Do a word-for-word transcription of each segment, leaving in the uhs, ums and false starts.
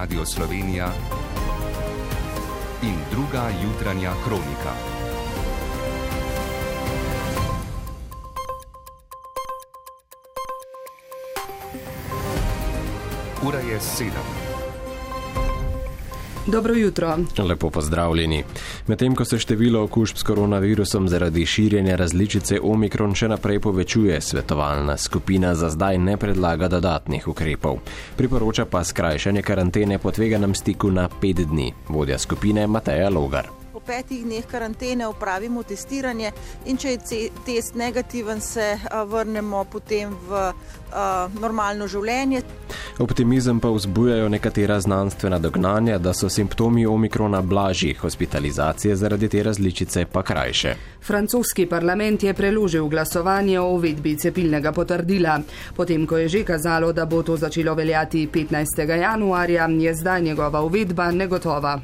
Radio Slovenija in druga jutranja kronika. Ura je sedem. Dobro jutro. Lepo pozdravljeni. Medtem ko se število okužb s koronavirusom zaradi širjenja različice Omikron še naprej povečuje, svetovalna skupina za zdaj ne predlaga dodatnih ukrepov. Priporoča pa skrajšanje karantene po tveganem stiku na pet dni. Vodja skupine Mateja Logar. Po petih dneh karantene opravimo testiranje in če je test negativen, se vrnemo potem v uh, normalno življenje. Optimizem pa vzbujajo nekatera znanstvena dognanja, da so simptomi Omikrona blažji, hospitalizacije zaradi te različice pa krajše. Francoski parlament je preložil glasovanje o uvedbi cepilnega potrdila. Potem, ko je že kazalo, da bo to začelo veljati petnajstega januarja, je zdaj njegova uvedba negotova.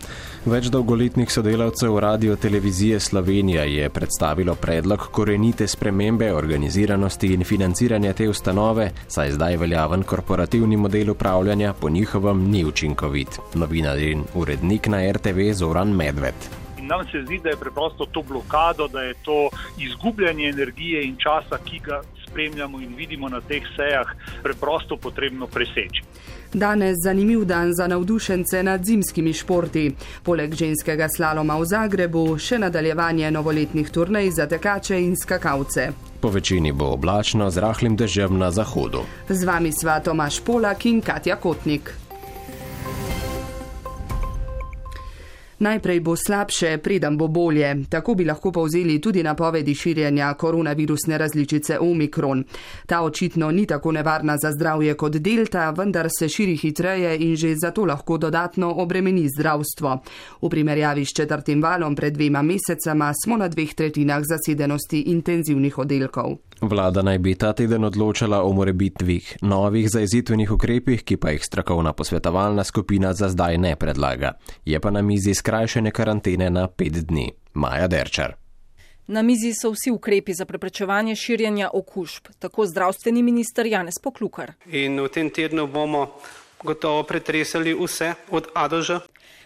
Več dolgoletnih sodelavcev Radio-televizije Slovenija je predstavilo predlog korenite spremembe organiziranosti in financiranja te ustanove, saj zdaj veljaven korporativni model upravljanja po njihovem ni učinkovit. Novinar in urednik na R T V Zoran Medved. Nam se zdi, da je preprosto to blokado, da je to izgubljanje energije in časa, ki ga spremljamo in vidimo na teh sejah, preprosto potrebno preseči. Danes zanimiv dan za navdušence nad zimskimi športi. Poleg ženskega slaloma v Zagrebu še nadaljevanje novoletnih turnej za tekače in skakalce. Po večini bo oblačno z rahlim dežjem na zahodu. Z vami sva Tomaž Polak in Katja Kotnik. Najprej bo slabše, preden bo bolje. Tako bi lahko povzeli tudi napovedi širjenja koronavirusne različice Omikron. Ta očitno ni tako nevarna za zdravje kot delta, vendar se širi hitreje in že zato lahko dodatno obremeni zdravstvo. V primerjavi s četrtim valom pred dvema mesecama smo na dveh tretjinah zasedenosti intenzivnih oddelkov. Vlada naj bi ta teden odločala o morebitvih novih zajezitvenih ukrepih, ki pa jih strokovna posvetovalna skupina za zdaj ne predlaga. Je pa na mizi skrajšanje karantene na pet dni. Maja Derčar. Na mizi so vsi ukrepi za preprečevanje širjenja okužb, tako zdravstveni minister Janez Poklukar. In v tem tednu bomo gotovo pretresali vse od A do Ž.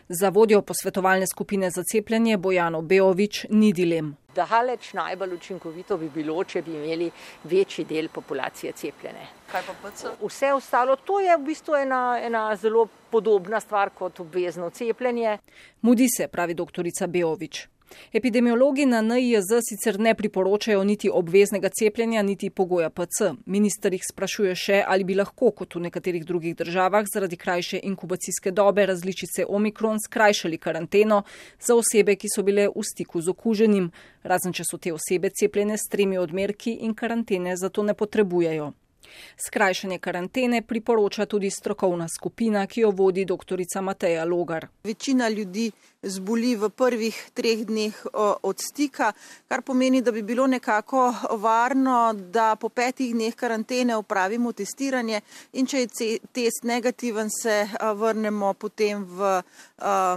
Za vodjo posvetovalne skupine za cepljenje Bojano Beović ni dilem. Daleč najbolj učinkovito bi bilo, če bi imeli večji del populacije cepljene. Kaj pa P C? Vse ostalo, to je v bistvu ena, ena zelo podobna stvar kot obvezno cepljenje. Mudi se, pravi doktorica Beović. Epidemiologi na N I J Z sicer ne priporočajo niti obveznega cepljenja, niti pogoja P C. Minister jih sprašuje še, ali bi lahko, kot v nekaterih drugih državah, zaradi krajše inkubacijske dobe različice Omikron skrajšali karanteno za osebe, ki so bile v stiku z okuženim, razen če so te osebe cepljene s tremi odmerki in karantene zato ne potrebujejo. Skrajšanje karantene priporoča tudi strokovna skupina, ki jo vodi doktorica Mateja Logar. Večina ljudi zboli v prvih treh dneh od stika, kar pomeni, da bi bilo nekako varno, da po petih dneh karantene opravimo testiranje in če je test negativen, se vrnemo potem v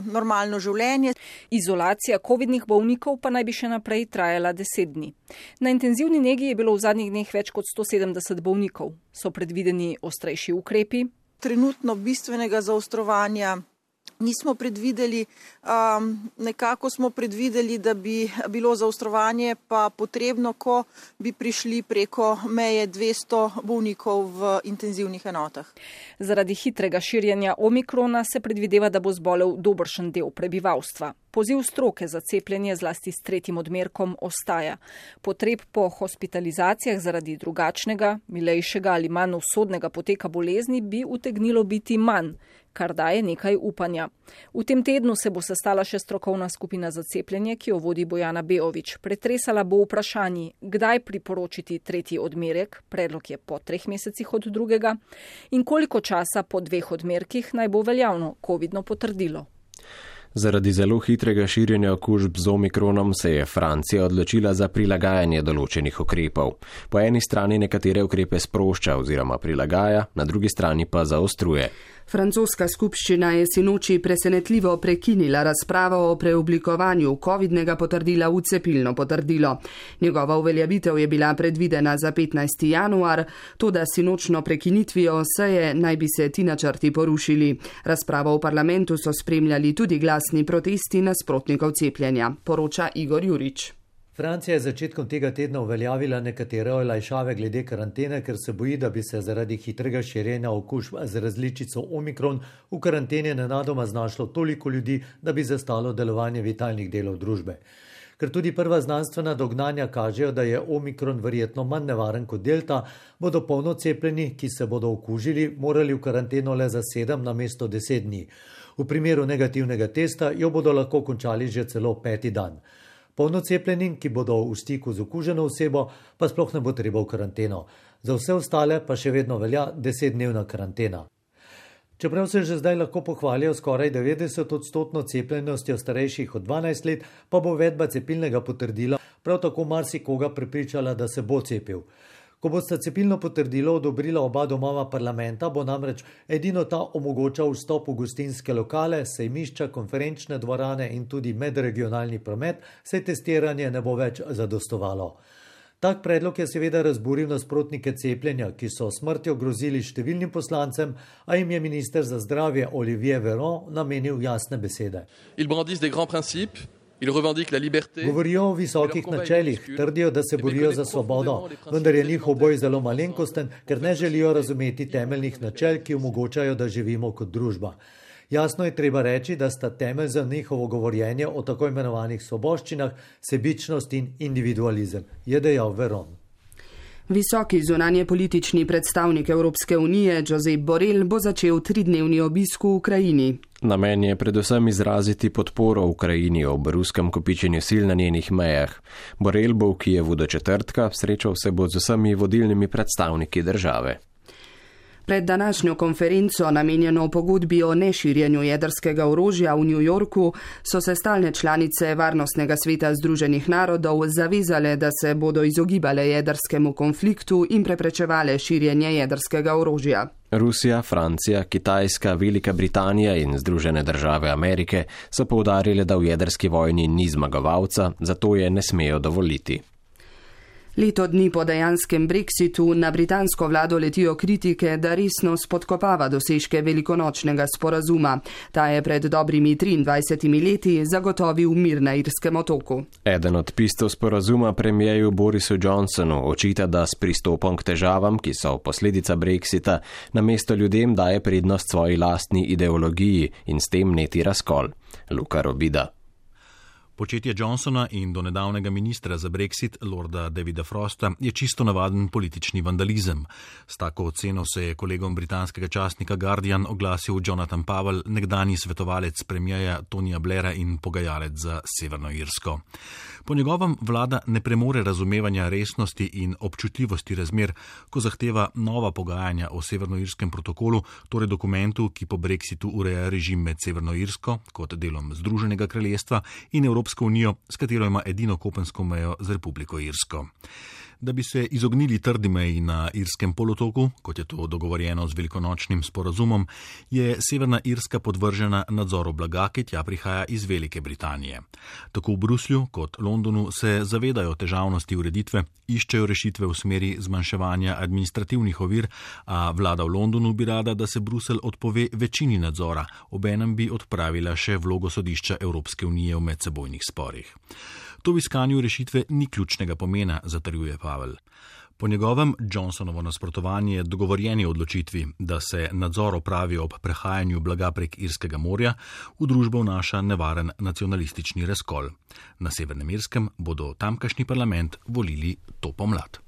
normalno življenje. Izolacija covidnih bolnikov pa naj bi še naprej trajala deset dni. Na intenzivni negi je bilo v zadnjih dneh več kot sto sedemdeset bolnikov. So predvideni ostrejši ukrepi? Trenutno bistvenega zaostrovanja nismo predvideli, um, nekako smo predvideli, da bi bilo zaostrovanje pa potrebno, ko bi prišli preko meje dvesto bolnikov v intenzivnih enotah. Zaradi hitrega širjenja Omikrona se predvideva, da bo zbolel dobršen del prebivalstva. Poziv stroke za cepljenje zlasti s tretjim odmerkom ostaja. Potreb po hospitalizacijah zaradi drugačnega, milejšega ali manj usodnega poteka bolezni bi utegnilo biti manj, kar daje nekaj upanja. V tem tednu se bo sestala še strokovna skupina za cepljenje, ki jo vodi Bojana Beović. Pretresala bo vprašanji, kdaj priporočiti tretji odmerek, predlog je po treh mesecih od drugega, in koliko časa po dveh odmerkih naj bo veljavno covidno potrdilo. Zaradi zelo hitrega širjenja okužb z Omikronom se je Francija odločila za prilagajanje določenih ukrepov. Po eni strani nekatere ukrepe sprošča oziroma prilagaja, na drugi strani pa zaostruje. Francoska skupščina je sinoči presenetljivo prekinila razpravo o preoblikovanju covidnega potrdila v cepilno potrdilo. Njegova uveljavitev je bila predvidena za petnajsti januar, toda sinočno prekinitvijo seje naj bi se ti načrti porušili. Razpravo v parlamentu so spremljali tudi glasni protesti nasprotnikov cepljenja, poroča Igor Jurič. Francija je začetkom tega tedna uveljavila nekatere olajšave glede karantene, ker se boji, da bi se zaradi hitrega širjenja okužb z različico Omikron v karantene nenadoma znašlo toliko ljudi, da bi zastalo delovanje vitalnih delov družbe. Ker tudi prva znanstvena dognanja kažejo, da je Omikron verjetno manj nevaren kot delta, bodo polno cepljeni, ki se bodo okužili, morali v karanteno le za sedem namesto deset dni. V primeru negativnega testa jo bodo lahko končali že celo peti dan. Polnocepljenim, ki bodo v stiku z okuženo osebo, pa sploh ne bo treba v karanteno. Za vse ostale pa še vedno velja desetdnevna karantena. Čeprav se že zdaj lahko pohvalijo skoraj devetdeset odstotno cepljenostjo starejših od dvanajst let, pa bo uvedba cepilnega potrdila prav tako marsikoga prepričala, da se bo cepil. Ko bosta cepilno potrdilo odobrila oba domova parlamenta, bo namreč edino ta omogočal vstop v gostinske lokale, sejmišča, konferenčne dvorane in tudi medregionalni promet, saj testiranje ne bo več zadostovalo. Tak predlog je seveda razburil nasprotnike cepljenja, ki so smrtjo grozili številnim poslancem, a jim je minister za zdravje Olivier Véran namenil jasne besede. Govorijo o visokih načelih, trdijo, da se borijo za svobodo, vendar je njihov boj zelo malenkosten, ker ne želijo razumeti temeljnih načel, ki omogočajo, da živimo kot družba. Jasno je treba reči, da sta temelj za njihovo govorjenje o tako imenovanih svoboščinah sebičnost in individualizem, je dejal Véran. Visoki zunanje politični predstavnik Evropske unije Josep Borrell bo začel tridnevni obisk v Ukrajini. Namen je predvsem izraziti podporo Ukrajini ob ruskem kopičenju sil na njenih mejah. Borrell bo v Kijevu do četrtka, srečal se bo z vsemi vodilnimi predstavniki države. Pred današnjo konferenco, namenjeno pogodbi o neširjenju jedrskega orožja v New Yorku, so se stalne članice Varnostnega sveta Združenih narodov zavezale, da se bodo izogibale jedrskemu konfliktu in preprečevale širjenje jedrskega orožja. Rusija, Francija, Kitajska, Velika Britanija in Združene države Amerike so poudarile, da v jedrski vojni ni zmagovalca, zato je ne smejo dovoliti. Leto dni po dejanskem brexitu na britansko vlado letijo kritike, da resno spodkopava dosežke velikonočnega sporazuma. Ta je pred dobrimi triindvajsetimi leti zagotovil mir na Irskem otoku. Eden od piscev sporazuma premijeju Borisu Johnsonu očita, da s pristopom k težavam, ki so posledica brexita, namesto ljudem daje prednost svoji lastni ideologiji in s tem neti razkol. Luka Robida. Početje Johnsona in do nedavnega ministra za Brexit, lorda Davida Frosta, je čisto navaden politični vandalizem. S tako oceno se je kolegom britanskega časnika Guardian oglasil Jonathan Powell, nekdanji svetovalec premijeja Tonija Blaira in pogajalec za Severno Irsko. Po njegovem vlada ne premore razumevanja resnosti in občutljivosti razmer, ko zahteva nova pogajanja o severnoirskem protokolu, torej dokumentu, ki po Brexitu ureja režim med Severno Irsko kot delom Združenega kraljestva in Evropsko unijo, s katero ima edino kopensko mejo z Republiko Irsko. Da bi se izognili trdi meji na Irskem polotoku, kot je to dogovorjeno z velikonočnim sporazumom, je Severna Irska podvržena nadzoru blaga, ki tja prihaja iz Velike Britanije. Tako v Bruslju kot Londonu se zavedajo težavnosti ureditve, iščejo rešitve v smeri zmanjševanja administrativnih ovir, a vlada v Londonu bi rada, da se Bruselj odpove večini nadzora, obenem bi odpravila še vlogo sodišča Evropske unije v medsebojnih sporih. To v iskanju rešitve ni ključnega pomena, zatrjuje Pavel. Po njegovem Johnsonovo nasprotovanje dogovorjeni odločitvi, da se nadzor opravi ob prehajanju blaga prek Irskega morja, v družbo vnaša nevaren nacionalistični razkol. Na Severnem Irskem bodo tamkajšnji parlament volili to pomlad.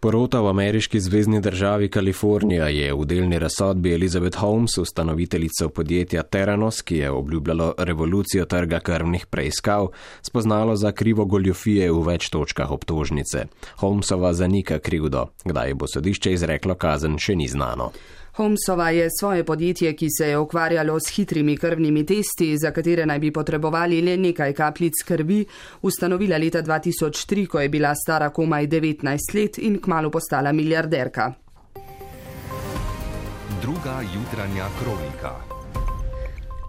Porota v ameriški zvezni državi Kalifornija je v delni razsodbi Elizabeth Holmes, ustanoviteljico podjetja Theranos, ki je obljubljalo revolucijo trga krvnih preiskav, spoznalo za krivo goljufije v več točkah obtožnice. Holmesova zanika krivdo. Kdaj bo sodišče izreklo kazen, še ni znano. Holmesova je svoje podjetje, ki se je ukvarjalo s hitrimi krvnimi testi, za katere naj bi potrebovali le nekaj kapljic krvi, ustanovila leta dva tisoč tri, ko je bila stara komaj devetnajst let in kmalu postala milijarderka. Druga jutranja kronika.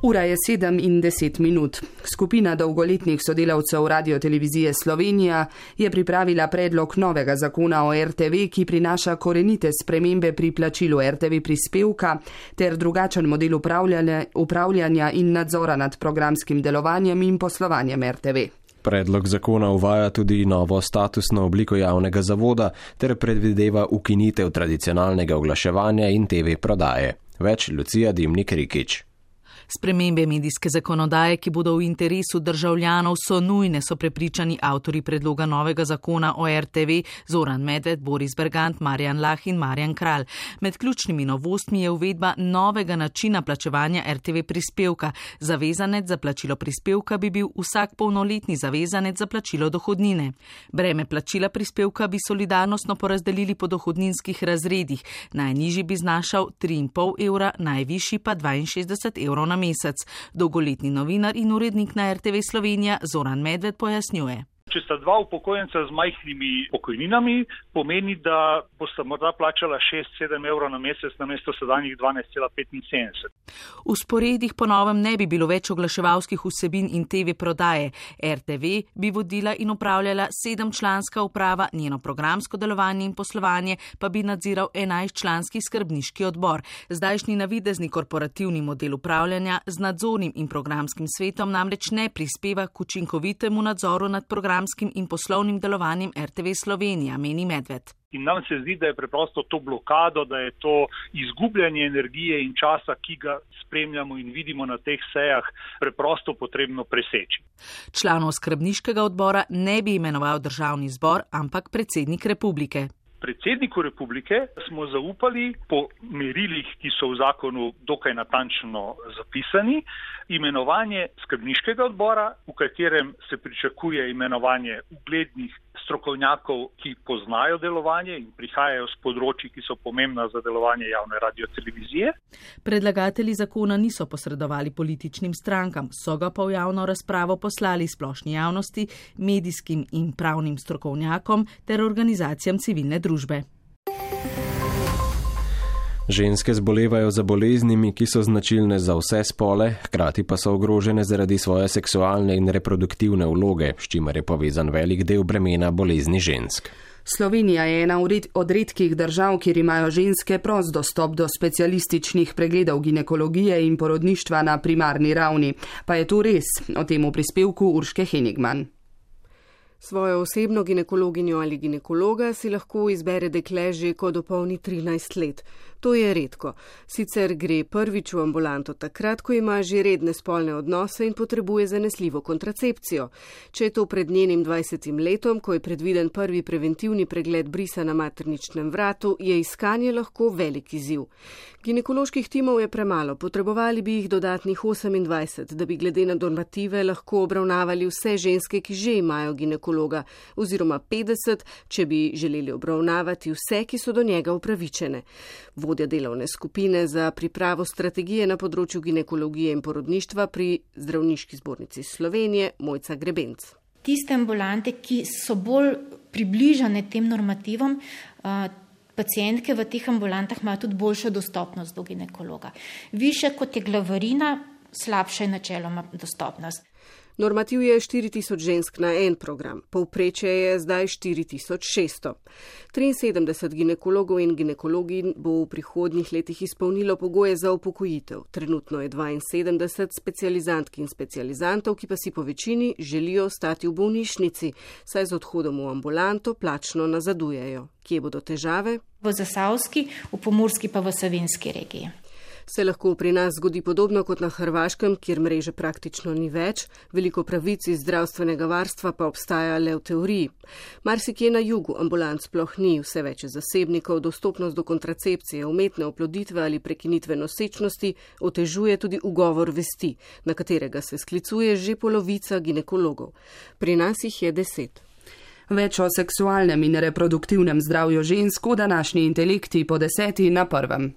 Ura je sedem in deset minut. Skupina dolgoletnih sodelavcev Radiotelevizije Slovenija je pripravila predlog novega zakona o er te ve, ki prinaša korenite spremembe pri plačilu er te ve prispevka ter drugačen model upravljanja, upravljanja in nadzora nad programskim delovanjem in poslovanjem er te ve. Predlog zakona uvaja tudi novo statusno obliko javnega zavoda ter predvideva ukinitev tradicionalnega oglaševanja in te ve prodaje. Več Lucija Dimnik-Rikić. Spremembe medijske zakonodaje, ki bodo v interesu državljanov, so nujne, so prepričani avtori predloga novega zakona o er te ve Zoran Medved, Boris Bergant, Marjan Lah in Marjan Kralj. Med ključnimi novostmi je uvedba novega načina plačevanja er te ve prispevka. Zavezanec za plačilo prispevka bi bil vsak polnoletni zavezanec za plačilo dohodnine. Breme plačila prispevka bi solidarnostno porazdelili po dohodninskih razredih. Najnižji bi znašal tri in pol evra, najvišji pa dvainšestdeset evrov na mesec. Dolgoletni novinar in urednik na er te ve Slovenija Zoran Medved pojasnjuje. Če sta dva upokojenca z majhnimi pokojninami, pomeni, da bosta morda plačala šest sedem evrov na mesec namesto sedanjih dvanajst cela petinsedemdeset. V sporedih po novem ne bi bilo več oglaševalskih vsebin in te ve prodaje. er te ve bi vodila in upravljala sedemčlanska uprava, njeno programsko delovanje in poslovanje pa bi nadziral enajstčlanski skrbniški odbor. Zdajšnji navidezni korporativni model upravljanja z nadzornim in programskim svetom namreč ne prispeva k učinkovitemu nadzoru nad programom in poslovnim delovanjem er te ve Slovenija, meni Medved. In nam se zdi, da je preprosto to blokado, da je to izgubljanje energije in časa, ki ga spremljamo in vidimo na teh sejah, preprosto potrebno preseči. Članov skrbniškega odbora ne bi imenoval državni zbor, ampak predsednik republike. Predsedniku republike smo zaupali po merilih, ki so v zakonu dokaj natančno zapisani, imenovanje skrbniškega odbora, v katerem se pričakuje imenovanje uglednih strokovnjakov, ki poznajo delovanje in prihajajo z področji, ki so pomembna za delovanje javne radiotelevizije. Predlagatelji zakona niso posredovali političnim strankam, so ga pa v javno razpravo poslali splošni javnosti, medijskim in pravnim strokovnjakom ter organizacijam civilne družbe. Ženske zbolevajo za boleznimi, ki so značilne za vse spole, hkrati pa so ogrožene zaradi svoje seksualne in reproduktivne vloge, s čimer je povezan velik del bremena bolezni žensk. Slovenija je ena od redkih držav, kjer imajo ženske prost dostop do specialističnih pregledov ginekologije in porodništva na primarni ravni. Pa je to res? O tem v prispevku Urške Henigman. Svojo osebno ginekologinjo ali ginekologa si lahko izbere dekle že, ko dopolni trinajst let. To je redko. Sicer gre prvič v ambulanto takrat, ko ima že redne spolne odnose in potrebuje zanesljivo kontracepcijo. Če je to pred njenim dvajsetim letom, ko je predviden prvi preventivni pregled brisa na materničnem vratu, je iskanje lahko velik izziv. Ginekoloških timov je premalo, potrebovali bi jih dodatnih osemindvajset, da bi glede na normative lahko obravnavali vse ženske, ki že imajo ginekologa, oziroma petdeset, če bi želeli obravnavati vse, ki so do njega upravičene. Vodja delovne skupine za pripravo strategije na področju ginekologije in porodništva pri Zdravniški zbornici Slovenije, Mojca Grebenc. Tiste ambulante, ki so bolj približane tem normativom, pacientke v teh ambulantah imajo tudi boljšo dostopnost do ginekologa. Više kot je glavarina, slabša je načeloma dostopnost. Normativ je štiri tisoč žensk na en program, povprečje je zdaj štiri tisoč šeststo. triinsedemdeset ginekologov in ginekologin bo v prihodnjih letih izpolnilo pogoje za upokojitev. Trenutno je dvainsedemdeset specializantk in specializantov, ki pa si po večini želijo ostati v bolnišnici, saj z odhodom v ambulanto plačno nazadujejo. Kje bodo težave? V Zasavski, v Pomurski pa v Savinjski regiji. Se lahko pri nas zgodi podobno kot na Hrvaškem, kjer mreže praktično ni več, veliko pravic iz zdravstvenega varstva pa obstaja le v teoriji. Marsikje na jugu ambulant sploh ni, vse več je zasebnikov, dostopnost do kontracepcije, umetne oploditve ali prekinitve nosečnosti otežuje tudi ugovor vesti, na katerega se sklicuje že polovica ginekologov. Pri nas jih je deset. Več o seksualnem in reproduktivnem zdravju žensk v današnji Intelekti po deseti na prvem.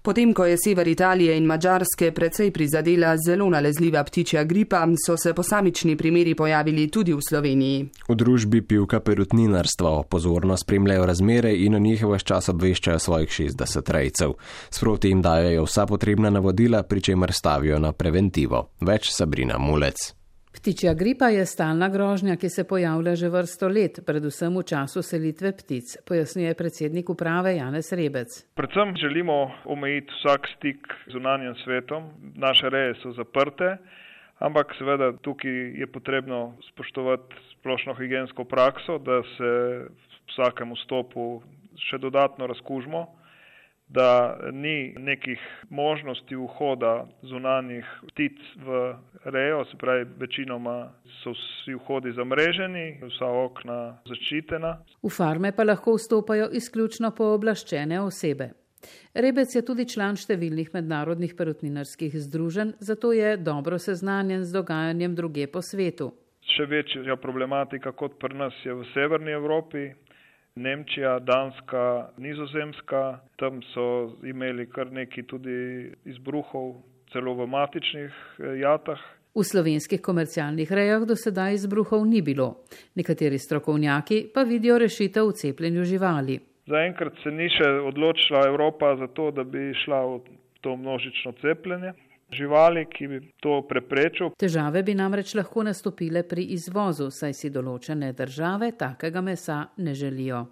Potem, ko je sever Italije in Madžarske precej prizadela zelo nalezljiva ptičja gripa, so se posamični primeri pojavili tudi v Sloveniji. V družbi Pivka perutninarstva pozorno spremljajo razmere in o njih ves čas obveščajo svojih šestdeset rejcev. Sproti jim dajo vsa potrebna navodila, pri čemer stavijo na preventivo. Več Sabrina Mulec. Ptičja gripa je stalna grožnja, ki se pojavlja že vrsto let, predvsem v času selitve ptic, pojasnjuje predsednik uprave Janez Rebec. Predvsem želimo omejiti vsak stik z zunanjim svetom. Naše reje so zaprte, ampak seveda tukaj je potrebno spoštovati splošno higiensko prakso, da se v vsakem vstopu še dodatno razkužimo, da ni nekih možnosti vhoda zunanjih ptic v rejo, se pravi, večinoma so vsi vhodi zamreženi, vsa okna zaščitena. V farme pa lahko vstopajo izključno pooblaščene osebe. Rebec je tudi član številnih mednarodnih perutninarskih združenj, zato je dobro seznanjen z dogajanjem druge po svetu. Še večja problematika kot pri nas je v severni Evropi. Nemčija, Danska, Nizozemska, tam so imeli kar nekaj tudi izbruhov, celo v matičnih jatah. V slovenskih komercialnih rejah do sedaj izbruhov ni bilo. Nekateri strokovnjaki pa vidijo rešitev v cepljenju živali. Zaenkrat se ni še odločila Evropa za to, da bi šla v to množično cepljenje živali, ki bi to preprečil. Težave bi namreč lahko nastopile pri izvozu, saj si določene države takega mesa ne želijo.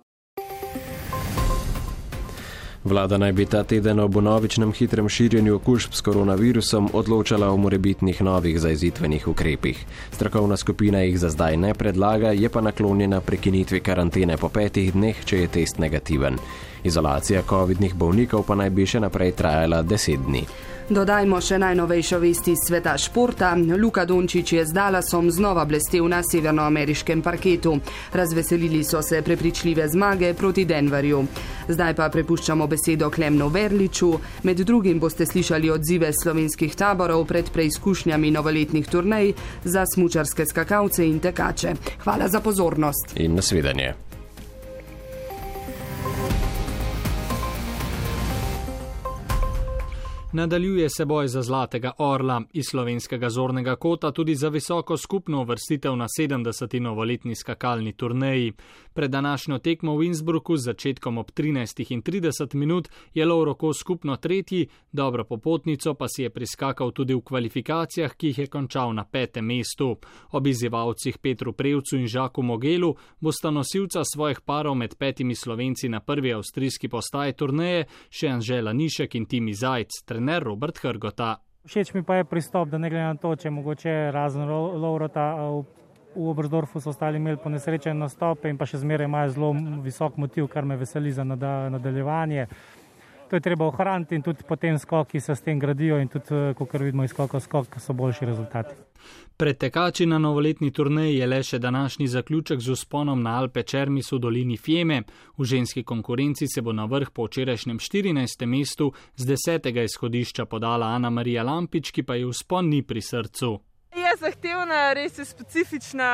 Vlada naj bi ta teden ob vnovičnem hitrem širjenju okužb s koronavirusom odločala o morebitnih novih zajezitvenih ukrepih. Strokovna skupina jih za zdaj ne predlaga, je pa naklonjena prekinitvi karantene po petih dneh, če je test negativen. Izolacija covidnih bolnikov pa naj bi še naprej trajala deset dni. Dodajmo še najnovejšo vesti iz sveta športa. Luka Dončić je z Dallasom znova blestel na severnoameriškem parketu. Razveselili so se prepričljive zmage proti Denverju. Zdaj pa prepuščamo besedo Klemnu Verliču. Med drugim boste slišali odzive slovenskih taborov pred preizkušnjami novoletnih turnej za smučarske skakalce in tekače. Hvala za pozornost. In nasvidenje. Nadaljuje se boj za zlatega orla. Iz slovenskega zornega kota tudi za visoko skupno uvrstitev na sedemdeseti novoletni skakalni turneji. Pred današnjo tekmo v Innsbrucku z začetkom ob trinajstih in trideset minut je Lovro Kos skupno tretji, dobro popotnico pa si je priskakal tudi v kvalifikacijah, ki jih je končal na petem mestu. Ob izzivalcih Petru Prevcu in Žaku Mogelu bosta nosilca svojih parov med petimi Slovenci na prvi avstrijski postaji turneje še Anžela Nišek in Timi Zajc. Trener Robert Hrgota. Všeč mi pa je pristop, da ne glede na to, če mogoče razen Lovrota v, v Oberstdorfu so ostali imeli po nesrečen nastope in pa še zmeraj imajo zelo visok motiv, kar me veseli za nadaljevanje. To je treba ohraniti in tudi potem skoki se s tem gradijo in tudi, kot vidimo iz skoka skok, so boljši rezultati. Pred tekači na novoletni turneji je le še današnji zaključek z vzponom na Alpe Čermis v dolini Fjeme. V ženski konkurenci se bo na vrh po včerajšnjem štirinajstem mestu z desetega izhodišča podala Ana Marija Lampič, ki pa je vzpon ni pri srcu. Je zahtevna, res je specifična,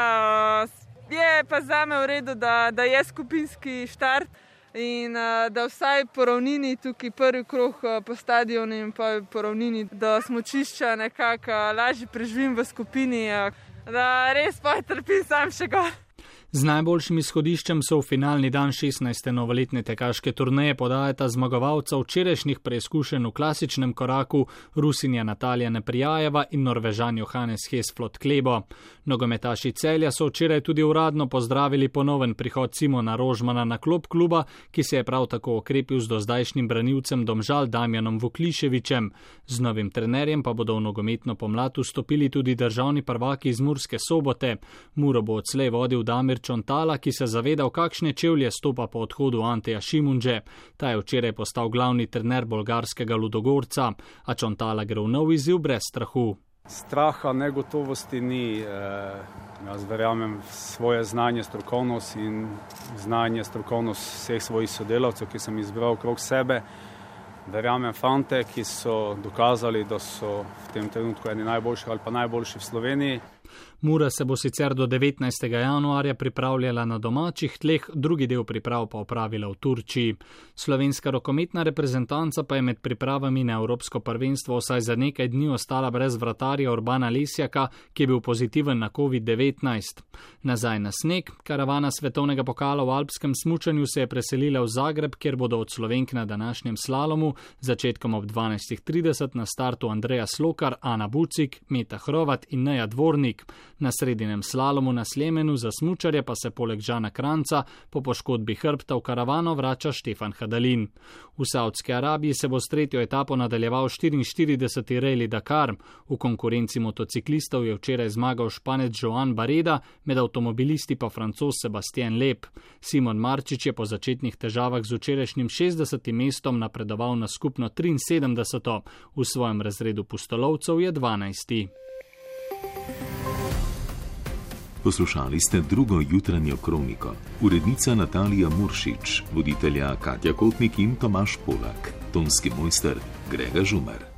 je pa zame v redu, da, da je skupinski štart. In da vsaj po ravnini, tukaj prvi krog po stadionu in pa po ravnini do smučišča nekako lažje preživim v skupini, da res pa trpim sam še gor. Z najboljšim izhodiščem so v finalni dan šestnajste novoletne tekaške turneje podajata zmagovalca včerajšnjih preizkušenj v klasičnem koraku Rusinja Natalija Neprijajeva in Norvežan Johannes Hesflot Klebo. Nogometaši Celja so včeraj tudi uradno pozdravili ponoven prihod Simona Rožmana na klop kluba, ki se je prav tako okrepil z dozdajšnjim branilcem Domžal Damjanom Vukliševičem. Z novim trenerjem pa bodo v nogometno pomlad vstopili tudi državni prvaki iz Murske Sobote. Muro bo odslej vodil Damir Čontala, ki se zaveda, v kakšne čevlje stopa po odhodu Anteja Šimunže. Ta je včeraj postal glavni trener bolgarskega Ludogorca, a Čontala gre v nov izziv brez strahu. Straha, negotovosti ni. Jaz verjamem v svoje znanje, strokovnost in znanje, strokovnost vseh svojih sodelavcev, ki sem izbral okrog sebe. Verjamem fante, ki so dokazali, da so v tem trenutku eni najboljših ali pa najboljši v Sloveniji. Mura se bo sicer do devetnajstega januarja pripravljala na domačih tleh, drugi del priprav pa opravila v Turčiji. Slovenska rokometna reprezentanca pa je med pripravami na Evropsko prvenstvo vsaj za nekaj dni ostala brez vratarja Urbana Lesjaka, ki je bil pozitiven na covid devetnajst. Nazaj na sneg, karavana svetovnega pokala v alpskem smučanju se je preselila v Zagreb, kjer bodo od Slovenk na današnjem slalomu začetkom ob dvanajst trideset na startu Andreja Slokar, Ana Bucik, Meta Hrovat in Neja Dvornik. Na sredinem slalomu na Slemenu za smučarje pa se poleg Žana Kranca po poškodbi hrbta v karavano vrača Štefan Hadalin. V Saudski Arabiji se bo s tretjo etapo nadaljeval štiriinštirideseti Rally Dakar. V konkurenci motociklistov je včeraj zmagal Španec Joan Bareda, med avtomobilisti pa Francoz Sebastien Lep. Simon Marčič je po začetnih težavah z včerajšnjim šestdesetim mestom napredoval na skupno triinsedemdeseto, v svojem razredu pustolovcev je dvanajsti. Poslušali ste drugo jutranjo kroniko. Urednica Natalija Muršič, voditelja Katja Kotnik in Tomaž Polak, tonski mojster Grega Žumer.